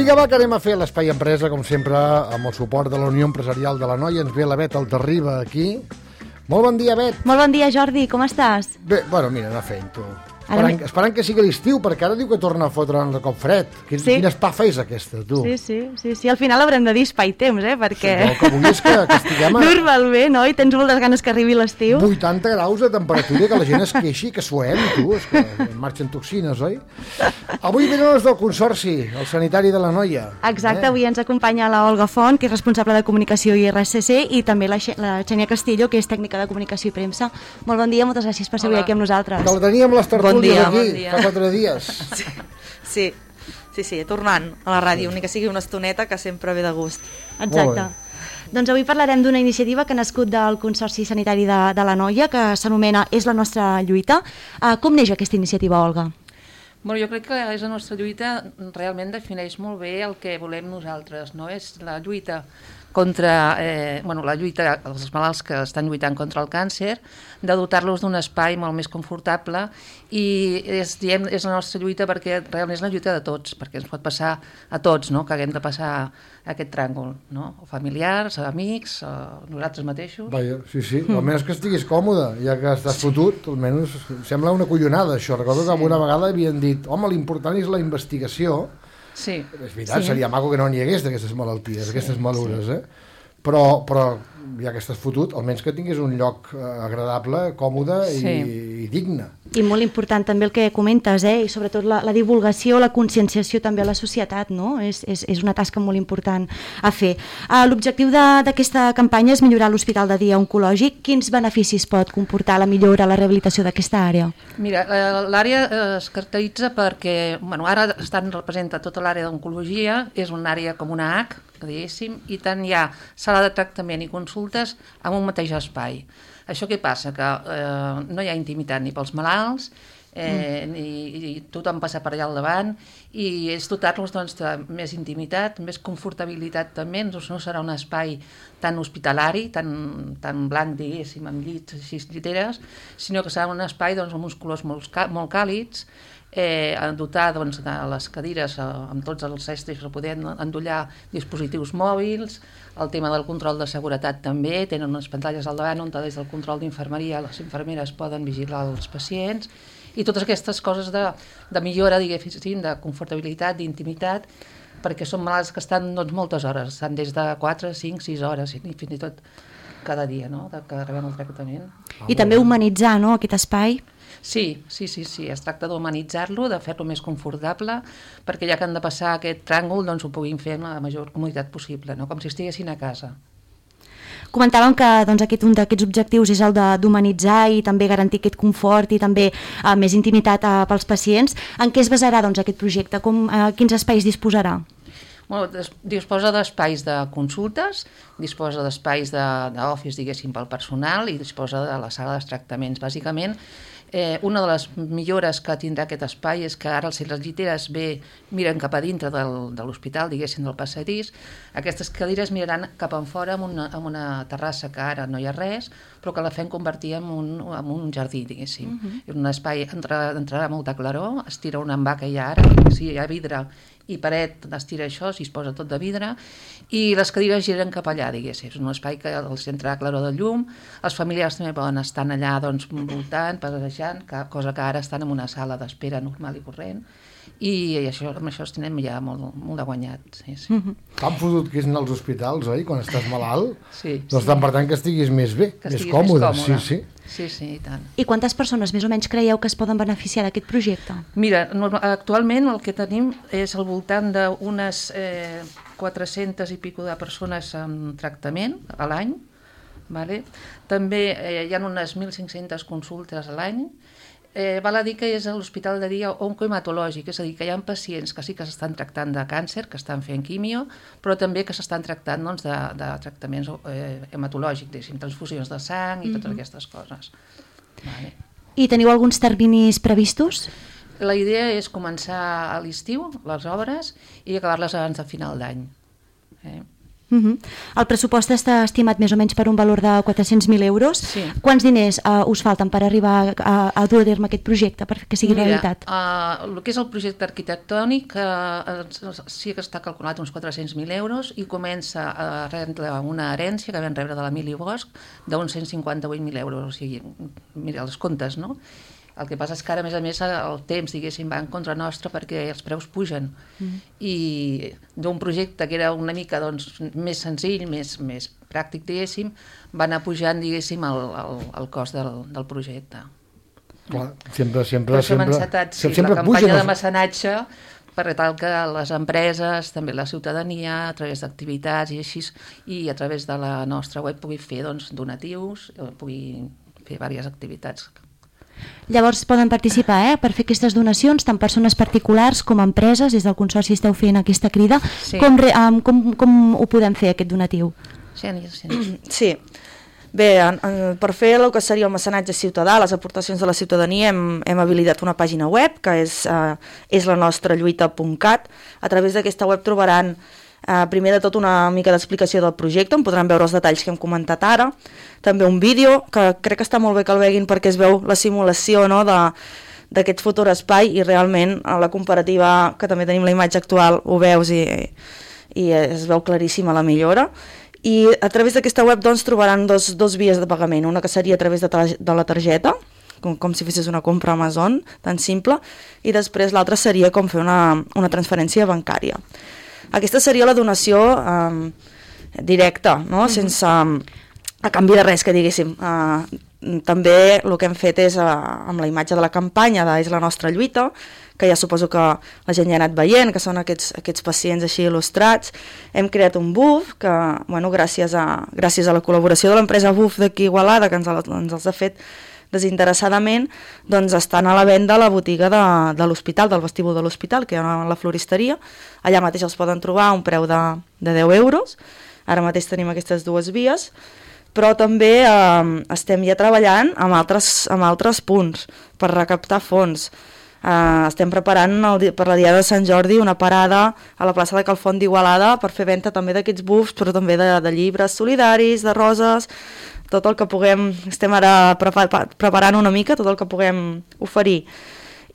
Vinga, va, que anem a fer l'Espai Empresa, com sempre, amb el suport de la Unió Empresarial de l'Anoia. Ens ve la Bet Altarriba aquí. Molt bon dia, Bet. Molt bon dia, Jordi, com estàs? Bé, bueno, mira, anar fent, tu. Esperant que sigui l'estiu, perquè ara diu que torna a fotre de cop fred. Quina espafa és aquesta, tu? Sí. Al final haurem de dir espai temps, perquè... Sí, el que vull és que estiguem... Normalment, no? I tens moltes ganes que arribi l'estiu. 80 graus de temperatura, que la gent es queixi, que suem, tu, és que marxen toxines, oi? Avui venen els del Consorci, el sanitari de l'Anoia. Exacte, avui ens acompanya la Olga Font, que és responsable de comunicació i RSC, i també la Xènia Castillo, que és tècnica de comunicació i premsa. Molt bon dia, moltes gràcies per ser avui aquí amb nosaltres. Que la teníem les tertúlies aquí, fa 4 dies. Sí, tornant a la ràdio, ni que sigui una estoneta, que sempre ve de gust. Exacte. Doncs avui parlarem d'una iniciativa que ha nascut del Consorci Sanitari de l'Anoia, que s'anomena És la nostra lluita. Com neix aquesta iniciativa, Olga? Bueno, jo crec que És la nostra lluita realment defineix molt bé el que volem nosaltres, no? És la lluita contra la lluita dels malalts que estan lluitant contra el càncer, de dotar-los d'un espai molt més confortable, i és la nostra lluita perquè realment és la lluita de tots, perquè ens pot passar a tots, no? Que haguem de passar aquest tràngol, no? O familiars, amics, nosaltres mateixos. Vaja, sí, almenys que estiguis còmode, ja que estàs fotut, almenys sembla una collonada això. Recordo que una vegada havien dit, home, l'important és la investigació. Sí. És veritat, seria maco que no n'hi hagués d'aquestes malalties, aquestes malures, però ja que estàs fotut, almenys que tinguis un lloc agradable, còmode i digne. I molt important també el que comentes, i sobretot la divulgació, la conscienciació també a la societat, no? És una tasca molt important a fer. L'objectiu d'aquesta campanya és millorar l'Hospital de Dia Oncològic. Quins beneficis pot comportar la millora, la rehabilitació d'aquesta àrea? Mira, l'àrea es caracteritza perquè, ara representa tota l'àrea d'oncologia, és una àrea com una H, que diguéssim, i tant hi ha sala de tractament i consultes en un mateix espai. Això què passa? Que no hi ha intimitat ni pels malalts, ni tothom passa per allà al davant, i és dotar-los de més intimitat, més confortabilitat també. No serà un espai tan hospitalari, tan blanc, diguéssim, amb llits, 6 lliteres, sinó que serà un espai amb uns colors molt càlids, dotar de les cadires amb tots els estris per poder endollar dispositius mòbils, el tema del control de seguretat també, tenen unes pantalles al davant on des del control d'infermeria les infermeres poden vigilar els pacients, i totes aquestes coses de millora, diguéssim, de confortabilitat, d'intimitat, perquè són malalts que estan moltes hores, estan des de 4, 5, 6 hores, i fins i tot cada dia, no?, que rebem el tractament. I també humanitzar, no?, aquest espai. Sí, es tracta d'humanitzar-lo, de fer-lo més confortable, perquè ja que han de passar aquest tràngol, doncs ho puguin fer amb la major comoditat possible, no?, com si estiguessin a casa. Comentàvem que un d'aquests objectius és el d'humanitzar i també garantir aquest confort i també més intimitat pels pacients. En què es basarà aquest projecte? Quins espais disposarà? Disposa d'espais de consultes, disposa d'espais d'office, diguéssim, pel personal, i disposa de la sala de tractaments. Bàsicament, una de les millores que tindrà aquest espai és que ara, si les lliteres miren cap a dintre de l'hospital, diguéssim, del passadís, aquestes cadires miraran cap enfora amb una terrassa que ara no hi ha res, però que la fem convertir en un jardí, diguéssim. En un espai entrarà molta claror, es tira un envà que hi ha ara, si hi ha vidre i paret, es tira això, s'hi posa tot de vidre, i les cadires giren cap allà, diguéssim. És un espai que els entrarà claror de llum, els familiars també poden estar allà voltant, passejant, cosa que ara estan en una sala d'espera normal i corrent, i amb això tenen ja molt de guanyat. Tan fotut que és anar als hospitals, oi?, quan estàs malalt. Sí. Doncs tan per tant que estiguis més bé, més còmode. Sí, i tant. I quantes persones més o menys creieu que es poden beneficiar d'aquest projecte? Mira, actualment el que tenim és al voltant d'unes 400 i pico de persones en tractament a l'any. També hi ha unes 1.500 consultes a l'any. Val a dir que és l'hospital de dia oncohematològic, és a dir, que hi ha pacients que sí que s'estan tractant de càncer, que estan fent quimio, però també que s'estan tractant de tractaments hematològics, transfusions de sang i totes aquestes coses. I teniu alguns terminis previstos? La idea és començar a l'estiu les obres i acabar-les abans de final d'any. El pressupost està estimat més o menys per un valor de 400.000 euros. Sí. Quants diners us falten per arribar a dur a terme aquest projecte, perquè sigui realitat? El que és el projecte arquitectònic sí que està calculat uns 400.000 euros i comença a rebre una herència que vam rebre de l'Emili Bosch d'uns 158.000 euros. O sigui, mira, els comptes, no? El que passa és que ara, a més, el temps, diguéssim, va en contra nostra perquè els preus pugen. I d'un projecte que era una mica més senzill, més pràctic, diguéssim, va anar pujant, diguéssim, el cost del projecte. Clar, sempre hem encetat la campanya de mecenatge per tal que les empreses, també la ciutadania, a través d'activitats i així, i a través de la nostra web pugui fer donatius, pugui fer diverses activitats. Llavors poden participar per fer aquestes donacions, tant persones particulars com empreses. Des del Consorci esteu fent aquesta crida. Sí. Com ho podem fer, aquest donatiu? Sí. Bé, per fer el que seria el mecenatge ciutadà, les aportacions de la ciutadania, hem habilitat una pàgina web, que és lanostralluita.cat. A través d'aquesta web trobaran primer de tot una mica d'explicació del projecte, on podran veure els detalls que hem comentat ara, també un vídeo, que crec que està molt bé que el veguin perquè es veu la simulació, no, d'aquest futur espai, i realment a la comparativa, que també tenim la imatge actual, ho veus i es veu claríssima la millora. I a través d'aquesta web trobaran dos vies de pagament, una que seria a través de la targeta, com si fessis una compra a Amazon, tan simple, i després l'altra seria com fer una transferència bancària. Aquesta seria la donació directa, no? Sense a canvi de res, que diguéssim. També el que hem fet és, amb la imatge de la campanya de És la nostra lluita, que ja suposo que la gent ja ha anat veient, que són aquests pacients així il·lustrats, hem creat un buf que, gràcies a la col·laboració de l'empresa Buf d'aquí Igualada, que ens els ha fet desinteressadament, estan a la venda a la botiga de l'hospital, del vestíbul de l'hospital, que hi ha a la floristeria. Allà mateix els poden trobar a un preu de 10 euros. Ara mateix tenim aquestes dues vies, però també estem ja treballant amb altres punts per recaptar fons. Estem preparant per la Diada de Sant Jordi una parada a la plaça de Calfont d'Igualada per fer venda també d'aquests bufs, però també de llibres solidaris, de roses, tot el que puguem. Estem ara preparant una mica tot el que puguem oferir.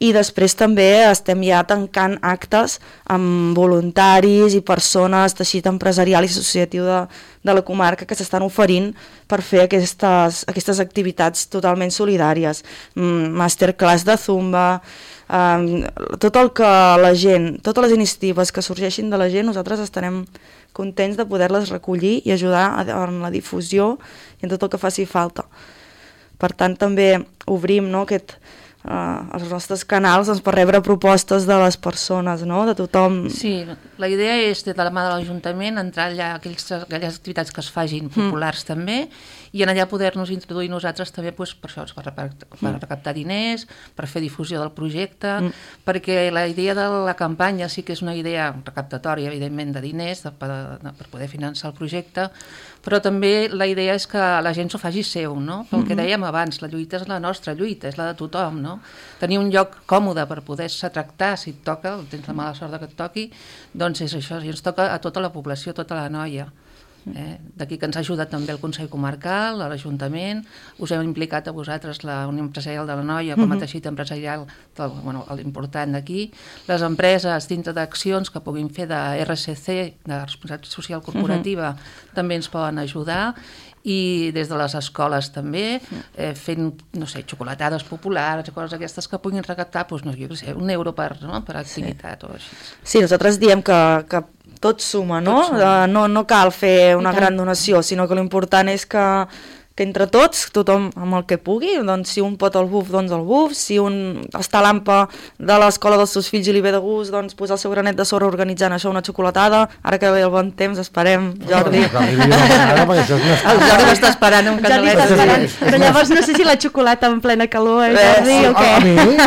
I després també estem ja tancant actes amb voluntaris i persones, teixit empresarial i associatiu de la comarca, que s'estan oferint per fer aquestes activitats totalment solidàries. Masterclass de zumba, tot el que la gent, totes les iniciatives que sorgeixin de la gent, nosaltres estarem contents de poder-les recollir i ajudar en la difusió i en tot el que faci falta. Per tant, també obrim els nostres canals per rebre propostes de les persones, de tothom. Sí, la idea és, des de la mà de l'Ajuntament, entrar allà aquelles activitats que es fagin populars també, i en allà poder-nos introduir nosaltres també per això, per recaptar diners, per fer difusió del projecte, perquè la idea de la campanya sí que és una idea recaptatòria, evidentment, de diners per poder finançar el projecte, però també la idea és que la gent s'ho faci seu, no? Pel que dèiem abans, la lluita és la nostra lluita, és la de tothom, no? Tenir un lloc còmode per poder-se tractar, si et toca, tens la mala sort que et toqui, doncs és això, i ens toca a tota la població, a tota la noia. D'aquí que ens ha ajudat també el Consell Comarcal, l'Ajuntament, us hem implicat a vosaltres la Unió Empresarial de la Noia com a teixit empresarial l'important d'aquí, les empreses dintre d'accions que puguin fer de RSC, de responsabilitat social corporativa, també ens poden ajudar, i des de les escoles també, fent, no sé, xocolatades populars, coses aquestes que puguin recaptar, doncs, no, jo què sé, €1 per activitat o així. Sí, nosaltres diem que tot suma, no? No cal fer una gran donació, sinó que l'important és que entre tots, tothom amb el que pugui, doncs si un pot el buf, doncs el buf, si un està a l'AMPA de l'escola dels seus fills i li ve de gust, doncs posar el seu granet de sorra organitzant això, una xocolatada, ara que ve el bon temps, esperem, Jordi. El Jordi m'està esperant un canalet. Però llavors no sé si la xocolata en plena calor, Jordi, o què?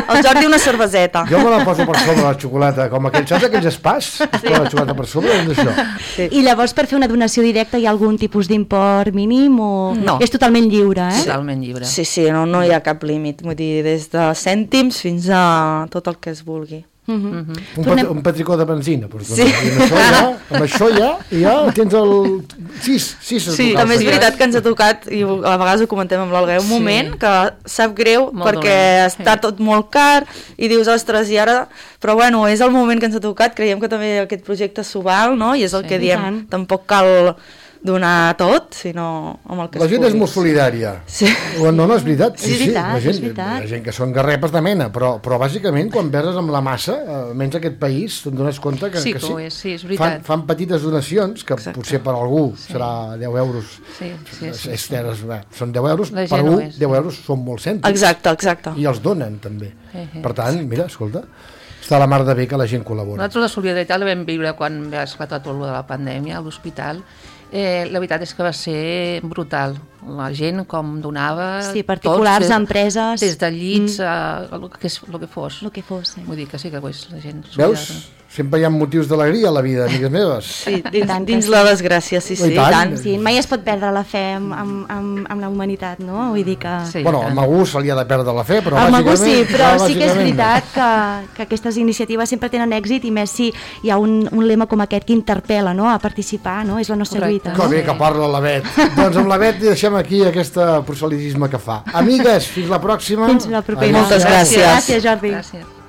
El Jordi una cerveseta. Jo me la poso per sobre la xocolata, com saps aquells espàs? La xocolata per sobre, doncs això. I llavors per fer una donació directa hi ha algun tipus d'import mínim o... No. És totalment lliure, Totalment lliure. Sí, no hi ha cap límit, vull dir, des de cèntims fins a tot el que es vulgui. Un petricó de benzina. Doncs, sí. Amb això ja tens el 6 Sí, també és veritat que ens ha tocat, i a vegades ho comentem amb l'Olga, un moment que sap greu perquè està tot molt car i dius, ostres, i ara... Però bueno, és el moment que ens ha tocat, creiem que també aquest projecte s'ho val, no? I és el que diem, tampoc cal donar tot, sinó amb el que la gent és molt solidària. Sí. No, és veritat. Sí, és veritat. Hi ha gent que són garrepes de mena, però bàsicament quan verses amb la massa, almenys aquest país, te'n dones compte que sí. Sí, és veritat. Fan petites donacions, que potser per algú serà 10 euros. Sí. Són 10 euros, per algú 10 euros són molt cèntims. Exacte. I els donen, també. Per tant, mira, escolta, està la mar de bé que la gent col·labora. Nosaltres la solidaritat la vam viure quan va esclatar tot el de la pandèmia a l'hospital. La veritat és que va ser brutal. La gent com donava... Sí, particulars, empreses... Des de llits a el que fos. El que fos, sí. Vull dir que sí que és la gent... Veus? Sempre hi ha motius d'alegria a la vida, amigues meves. Sí, dins la desgràcia, sí. Tant. Sí, mai es pot perdre la fe amb la humanitat, no? Vull dir que... Sí, bueno, amb algú se li ha de perdre la fe, però amb bàsicament... algú sí, però sí que és veritat que aquestes iniciatives sempre tenen èxit, i més si hi ha un lema com aquest que interpel·la, no?, a participar, no? És la nostra lluita. Que bé que parla la Bet. Doncs amb la Bet deixem aquí aquest proselitisme que fa. Amigues, fins la pròxima. Fins la propera. Moltes gràcies. Gràcies, Jordi. Gràcies.